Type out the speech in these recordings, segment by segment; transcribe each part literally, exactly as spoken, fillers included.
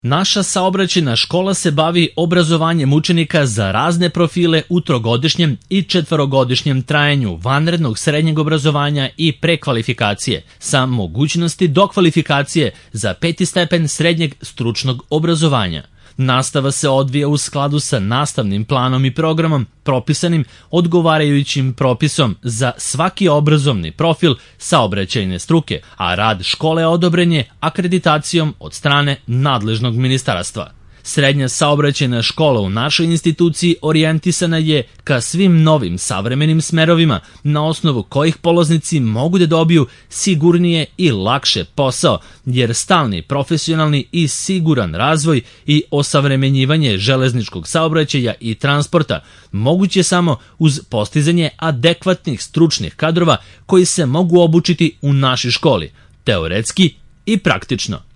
Naša saobraćajna škola se bavi obrazovanjem učenika za razne profile u trogodišnjem i četvorogodišnjem trajanju vanrednog srednjeg obrazovanja i prekvalifikacije, sa mogućnosti dokvalifikacije za peti stepen srednjeg stručnog obrazovanja. Nastava se odvija u skladu sa nastavnim planom i programom propisanim odgovarajućim propisom za svaki obrazovni profil saobraćajne struke, a rad škole odobren je akreditacijom od strane nadležnog ministarstva. Srednja saobraćajna škola u našoj instituciji orijentisana je ka svim novim savremenim smerovima, na osnovu kojih polaznici mogu da dobiju sigurnije i lakše posao, jer stalni profesionalni i siguran razvoj i osavremenjivanje železničkog saobraćaja i transporta moguće samo uz postizanje adekvatnih stručnih kadrova koji se mogu obučiti u našoj školi, teoretski i praktično.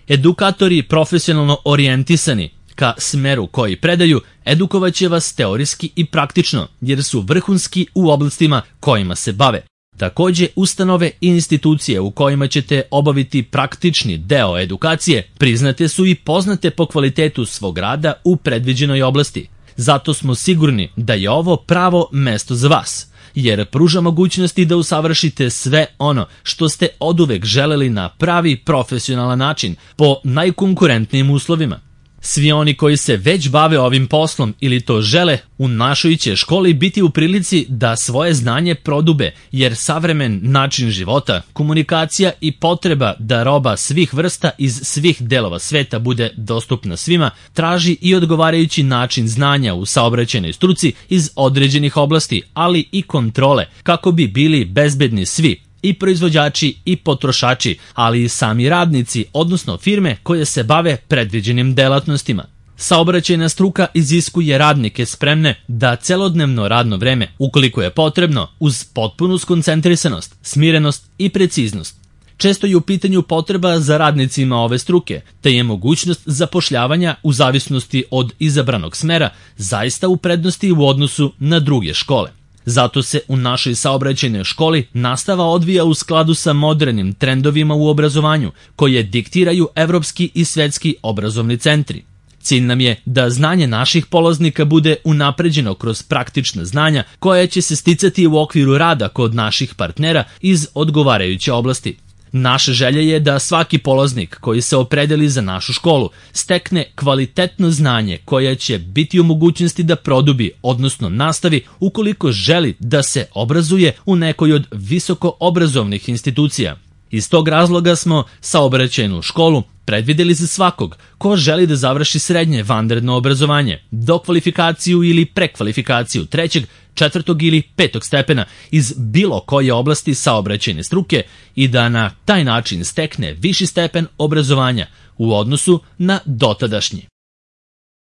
Edukatori profesionalno orijentisani ka smeru koji predaju edukovaće vas teorijski i praktično, jer su vrhunski u oblastima kojima se bave. Takođe, ustanove i institucije u kojima ćete obaviti praktični deo edukacije priznate su i poznate po kvalitetu svog rada u predviđenoj oblasti. Zato smo sigurni da je ovo pravo mesto za vas, jer pruža mogućnosti da usavršite sve ono što ste oduvek želeli na pravi profesionalan način, po najkonkurentnijim uslovima. Svi oni koji se već bave ovim poslom ili to žele, u našoj će školi biti u prilici da svoje znanje prodube, jer savremen način života, komunikacija i potreba da roba svih vrsta iz svih delova sveta bude dostupna svima, traži i odgovarajući način znanja u saobraćajnoj struci iz određenih oblasti, ali i kontrole, kako bi bili bezbedni svi, i proizvođači i potrošači, ali i sami radnici, odnosno firme koje se bave predviđenim delatnostima. Saobraćajna struka iziskuje radnike spremne da celodnevno radno vreme, ukoliko je potrebno, uz potpunu skoncentrisanost, smirenost i preciznost. Često je u pitanju potreba za radnicima ove struke, te je mogućnost zapošljavanja u zavisnosti od izabranog smera zaista u prednosti u odnosu na druge škole. Zato se u našoj saobraćajnoj školi nastava odvija u skladu sa modernim trendovima u obrazovanju, koje diktiraju evropski i svetski obrazovni centri. Cilj nam je da znanje naših polaznika bude unapređeno kroz praktična znanja koja će se sticati u okviru rada kod naših partnera iz odgovarajuće oblasti. Naša želja je da svaki polaznik koji se opredeli za našu školu stekne kvalitetno znanje koje će biti u mogućnosti da produbi, odnosno nastavi, ukoliko želi da se obrazuje u nekoj od visoko obrazovnih institucija. Iz tog razloga smo saobraćajnu školu predvideli za svakog ko želi da završi srednje vanredno obrazovanje, dokvalifikaciju ili prekvalifikaciju trećeg, četvrtog ili petog stepena iz bilo koje oblasti saobraćajne struke i da na taj način stekne viši stepen obrazovanja u odnosu na dotadašnji.